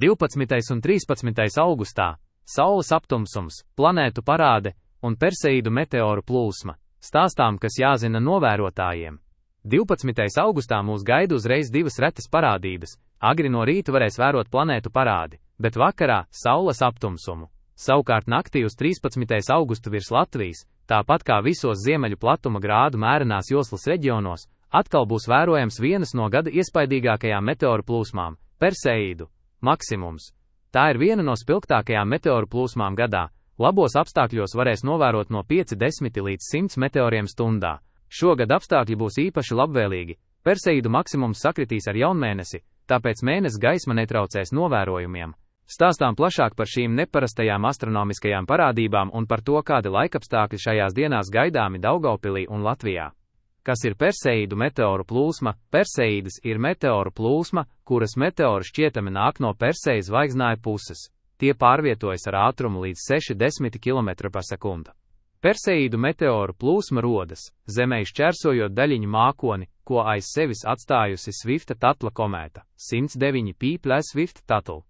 12. un 13. augustā – Saules aptumsums, planētu parāde un Perseīdu meteoru plūsma. Stāstām, kas jāzina novērotājiem. 12. augustā mūs gaida uzreiz divas retas parādības. Agri no rīta varēs vērot planētu parādi, bet vakarā – Saules aptumsumu. Savukārt naktī uz 13. augustu virs Latvijas, tāpat kā visos ziemeļu platuma grādu mērenās joslas reģionos, atkal būs vērojams vienas no gada iespaidīgākajām meteoru plūsmām – Perseīdu maksimums. Tā ir viena no spilgtākajām meteoru plūsmām gadā. Labos apstākļos varēs novērot no 50 līdz 100 meteoriem stundā. Šogad apstākļi būs īpaši labvēlīgi. Perseīdu maksimums sakritīs ar jaunmēnesi, tāpēc mēness gaisma netraucēs novērojumiem. Stāstām plašāk par šīm neparastajām astronomiskajām parādībām un par to, kādi laikapstākļi šajās dienās gaidāmi Daugavpilī un Latvijā. Kas ir Perseīdu meteoru plūsma? Perseīdas ir meteoru plūsma, kuras meteori šķietami nāk no Persejas zvaigznāja puses. Tie pārvietojas ar ātrumu līdz 60 km/s. Perseīdu meteoru plūsma rodas Zemei šķērsojot daļiņu mākoni, ko aiz sevis atstājusi Svifta-Tatla komēta 109 P+ Swift-Tuttle.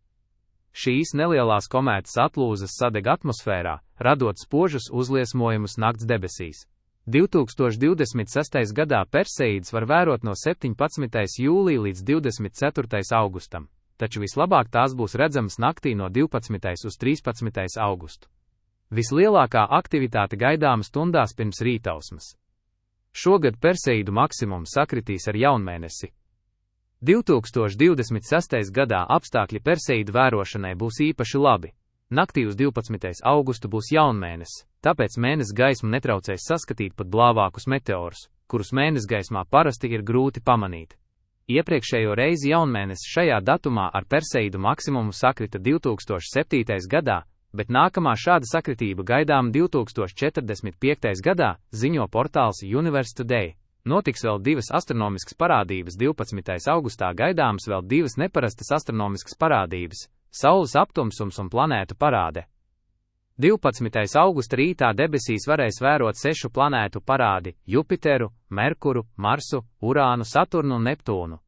Šīs nelielās komētas atlūzas sadeg atmosfērā, radot spožus uzliesmojumus nakts debesīs. 2026. gadā Perseīdas var vērot no 17. jūlija līdz 24. augustam. Taču vislabāk tās būs redzamas naktī no 12. uz 13. augustu. Vislielākā aktivitāte gaidāma stundās pirms rītausmas. Šogad Perseīdu maksimums sakritīs ar jaunmēnesi. 2026. gadā apstākļi Perseīdu vērošanai būs īpaši labi. Naktī uz 12. augustu būs jaunmēnesis, tāpēc mēness gaismu netraucēs saskatīt pat blāvākus meteorus, kurus mēness gaismā parasti ir grūti pamanīt. Iepriekšējo reizi jaunmēnesis šajā datumā ar Perseīdu maksimumu sakrita 2007. gadā, bet nākamā šāda sakritība gaidām 2045. gadā, ziņo portāls Universe Today. Notiks vēl divas astronomiskas parādības. 12. augustā gaidāmas vēl divas neparastas astronomiskas parādības – Saules aptumsums un planētu parāde. 12. augusta rītā debesīs varēs vērot 6 planētu parādi – Jupiteru, Merkuru, Marsu, Urānu, Saturnu un Neptūnu.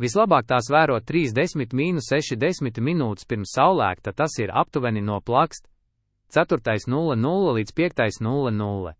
Vislabāk tās vērot 30–60 minūtes pirms saulēkta, tas ir aptuveni no plakst 4:00 līdz 5:00.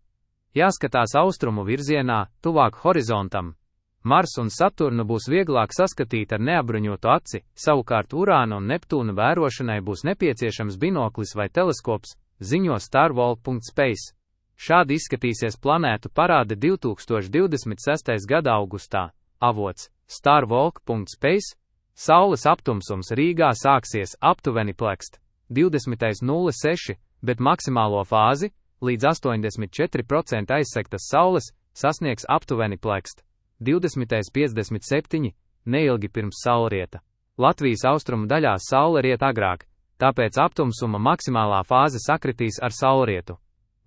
Jāskatās austrumu virzienā, tuvāk horizontam. Mars un Saturnu būs vieglāk saskatīt ar neapbruņotu aci, savukārt Urāna un Neptūna vērošanai būs nepieciešams binoklis vai teleskops, ziņo starwalk.space. Šādi izskatīsies planētu parāde 2026. gada augustā. Avots starwalk.space. Saules aptumsums Rīgā sāksies aptuveni plekst 20:06, bet maksimālo fāzi, līdz 84% aizsegtas saules, sasniegs aptuveni plekst 20:57, neilgi pirms saulrieta. Latvijas austrumu daļā saule riet agrāk, tāpēc aptumsuma maksimālā fāze sakritīs ar saulrietu.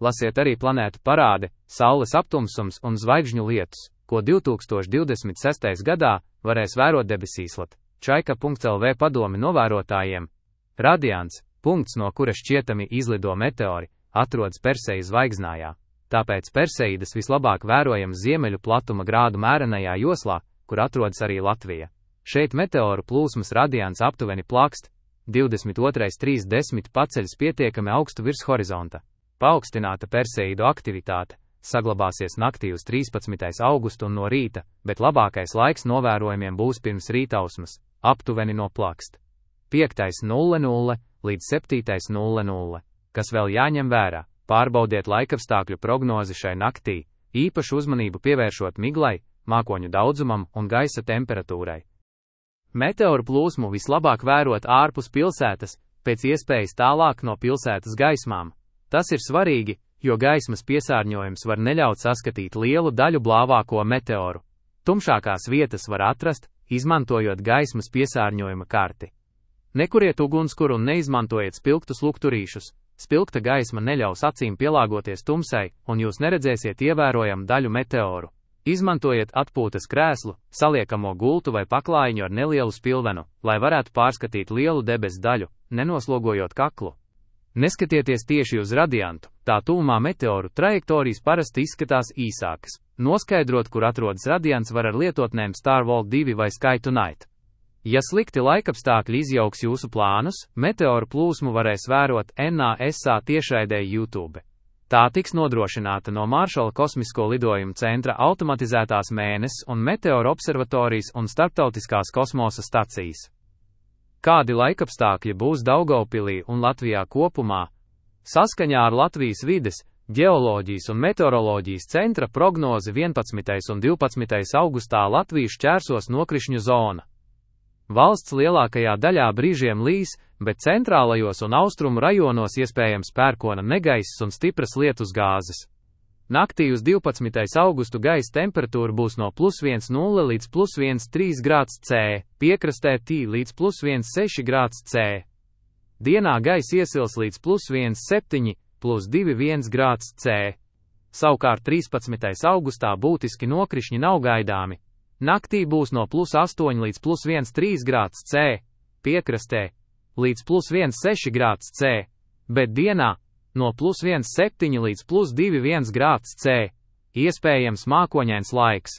Lasiet arī planētu parāde, Saules aptumsums un zvaigžņu lietus, ko 2026. gadā varēs vērot debesīslat. Čaika.lv padomi novērotājiem. Radiants, punkts, no kura šķietami izlido meteori, atrodas Persejas zvaigznājā. Tāpēc Perseīdas vislabāk vērojams ziemeļu platuma grādu mērenajā joslā, kur atrodas arī Latvija. Šeit meteoru plūsmas radiants aptuveni plakst 22:30 paceļas pietiekami augstu virs horizonta. Paaugstināta Perseīdu aktivitāte saglabāsies naktī uz 13. augustu un no rīta, bet labākais laiks novērojumiem būs pirms rītausmas, aptuveni no plakst 5:00 līdz 7:00. Kas vēl jāņem vērā? Pārbaudiet laikapstākļu prognozi šai naktī, īpašu uzmanību pievēršot miglai, mākoņu daudzumam un gaisa temperatūrai. Meteoru plūsmu vislabāk vērot ārpus pilsētas, pēc iespējas tālāk no pilsētas gaismām. Tas ir svarīgi, jo gaismas piesārņojums var neļaut saskatīt lielu daļu blāvāko meteoru. Tumšākās vietas var atrast, izmantojot gaismas piesārņojuma karti. Nekuriet ugunskura un neizmantojiet spilgtus lukturīšus. Spilgta gaisma neļaus acīm pielāgoties tumsai, un jūs neredzēsiet ievērojamu daļu meteoru. Izmantojiet atpūtas krēslu, saliekamo gultu vai paklājiņu ar nelielu spilvenu, lai varētu pārskatīt lielu debesu daļu, nenoslogojot kaklu. Neskatieties tieši uz radiantu, tā tūmā meteoru trajektorijas parasti izskatās īsākas. Noskaidrot, kur atrodas radiants, var ar lietotnēm Starwalk 2 vai Sky Tonight. Ja slikti laikapstākļi izjauks jūsu plānus, meteoru plūsmu varēs vērot NASA tiešraidē YouTube. Tā tiks nodrošināta no Maršala kosmisko lidojumu centra automatizētās Mēness un meteoru observatorijas un starptautiskās kosmosa stacijas. Kādi laikapstākļi būs Daugavpilī un Latvijā kopumā? Saskaņā ar Latvijas vides, ģeoloģijas un meteoroloģijas centra prognozi 11. un 12. augustā Latviju šķērsos nokrišņu zona. Valsts lielākajā daļā brīžiem līs, bet centrālajos un austrumu rajonos iespējams pērkona negaiss un stipras lietusgāzes. Naktī uz 12. augustu gaisa temperatūra būs no +1,0 līdz +1,3 grāds C, piekrastē T līdz +1,6 grāds C. Dienā gaisa iesils līdz +1,7, +2,1 grāds C. Savukārt 13. augustā būtiski nokrišņi nav gaidāmi. Naktī būs no +8 līdz +1,3 grāds C, piekrastē, līdz +1,6 grāds C, bet dienā no +1,7 līdz +2,1 grāds C, iespējams mākoņains laiks.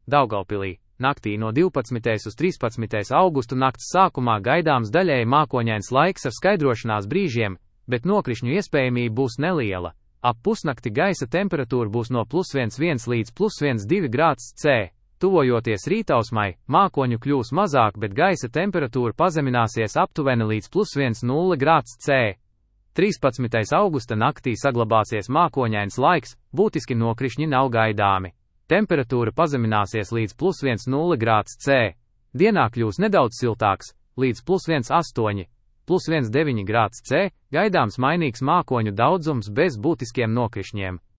Daugavpilī, naktī no 12. uz 13. augustu nakts sākumā gaidāms daļēji mākoņains laiks ar skaidrošanās brīžiem, bet nokrišņu iespējamība būs neliela. Ap pusnakti gaisa temperatūra būs no +1,1 līdz +1,2 grāds C. Tuvojoties rītausmai, mākoņu kļūs mazāk, bet gaisa temperatūra pazemināsies aptuveni līdz +1,0 grāds C. 13. augusta naktī saglabāsies mākoņains laiks, būtiski nokrišņi nav gaidāmi. Temperatūra pazemināsies līdz +1,0 grāds C. Dienā kļūs nedaudz siltāks, līdz +1,8, +1,9 grāds C, gaidāms mainīgs mākoņu daudzums bez būtiskiem nokrišņiem.